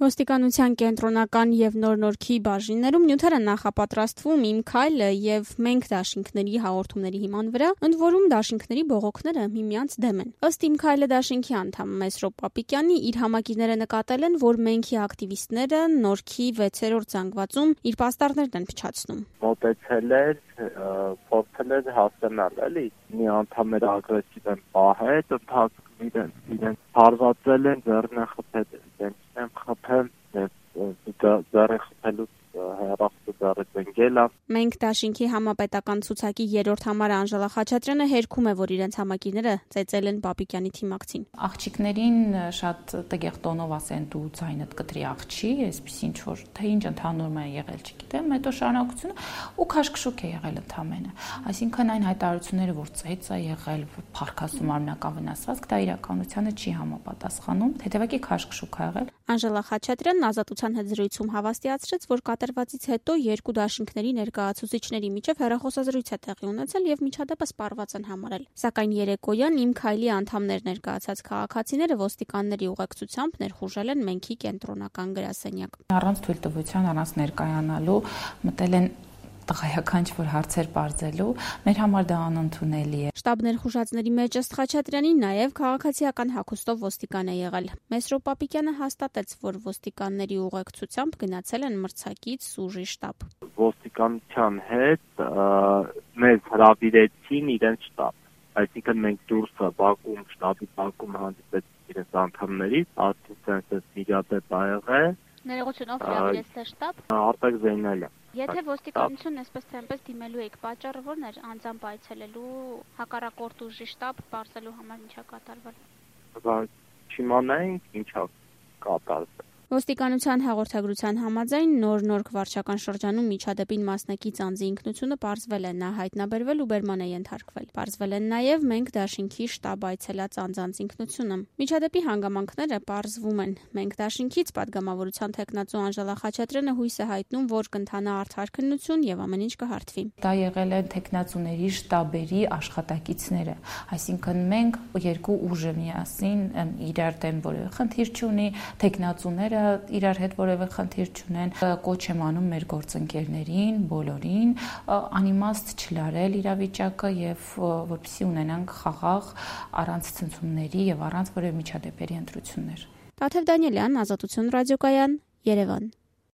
Ոստիկանության կենտրոնական և նոր-նորքի բաժիններում նյութերը նախապատրաստվում «Իմ քայլը» և «Մենք դաշինքների» հաղորդումների հիման վրա, ընդ որում դաշինքների բողոքները միմյանց դեմ են։ Ըստ «Իմ քայլը» դաշինքի անդամ Մեսրոպ Պապիկյանի, իր համակիները նկատել են, որ «Մենք»-ի ակտիվիստները Նորքի 6-րդ զանգվածում իր պաստառներն են փչացնում։ Մոտեցել էր, փորձել էր հասկանալ, էլի, մի անդամները ագրեսիվ են պահել, ընթացքում իրենց հարվածել են, ձեռն են խփել, իրենց են խփել, ձեռը խփելուց հեռախոսը ձեռը ծնգել է։ «Մենք դաշինքի» համապետական ցուցակի 3-րդ համարը Անժելա Խաչատրյանը հերքում է, որ իրենց համակիները ծեծել են Պապիկյանի թիմակցին։ Աղջիկներին շատ տգեղ տոնով ասեն դու ձայնդ կտրի աղջի, այսպես ինչ որ թե ինչ ընդհանուր է եղել, չգիտեմ, հետո շարունակությունը ու քաշքշուկ է եղել ընդամենը։ Այսինքն այն հայտարարությունները, որ ծեծ է եղել, փառքասում արմենական վնասվածք, դա իրականությանը չի համապատասխանում, հետևակի քաշքշուկ է եղել։ Անժելա Խաչատրյանն Ազատության հետ զրույցում հավաստիացրեց, որ կատարվածից հետո երկու դաշինքների ներկայացուցիչների միջև հեռախոսազրույց է տեղի ունեցել եւ միջադեպը սպառված են համարել։ Սակայն երեկոյան «Իմ քայլի» անդամներ ներկայացած քաղաքացիները ոստիկանների ուղեկցությամբ ներխուժել են «Մենք»-ի կենտրոնական գրասենյակ։ Առանց թույլտվության, առանց ներկայանալու մտել են տղայական ինչ-որ հարցեր պարզելու, մեր համար դա անընդունելի է։ Շտաբ ներխուժածների մեջ ըստ Խաչատրյանի նաև քաղաքացիական հագուստով ոստիկան է եղել։ Մեսրոպ Պապիկյանը հաստատեց, որ ոստիկանների ուղեկցությամբ գնացել են մրցակից Սուժի շտաբ։ Ոստիկանության հետ մեզ հրավիրեցին իրենց շտաբ, այսինքն մենք դուրսը բակում, շտաբի բակում հանդիպեցինք իրենց անդամներից, ասեցին միջադեպ ա եղել։ Ներողություն, ով հրավիրեց թե շտաբ։ Արտակ Զեյնալը։ Եթե ոստիկանությունն այսպես թե այնպես դիմելու եք, պատճառը ո՞րն էր անձամբ այցելելու հակառակորդ ուժի շտաբ բարձելու համար ինչա կատարվել։ Չիմանայինք ինչա կատարվել։ Ոստիկանության հաղորդագրության համաձայն նոր-նորք վարչական շրջանում միջադեպին մասնակից անձի ինքնությունը պարզվել է, նա հայտնաբերվել ու բերման է ենթարկվել։ Պարզվել են նաև «Մենք դաշինքի» շտաբ այցելած անձանց ինքնությունը։ Միջադեպի հանգամանքները պարզվում են։ «Մենք դաշինքից» падգամավորության թեկնածու Անժելա Խաչատրյանը հույս է հայտնում, որ կընթանա արդար քննություն եւ ամեն ինչ կհարթվի։ Դա եղել են թեկնածուների շտաբերի աշխատակիցները, այսինքն մենք երկու ուժը միասին իրար դեմ որևէ խնդիր չունի, թեկնածուները իրար հետ որևէ խնդիր չունեն, կոչ եմ անում մեր գործընկերներին, բոլորին անիմաստ չլարել իրավիճակը եւ որպեսզի ունենանք խաղաղ, առանց ցնցումների եւ առանց որևէ միջադեպերի ընտրություններ։ Տաթև Դանիելյան, Ազատություն ռադիոկայան, Երևան։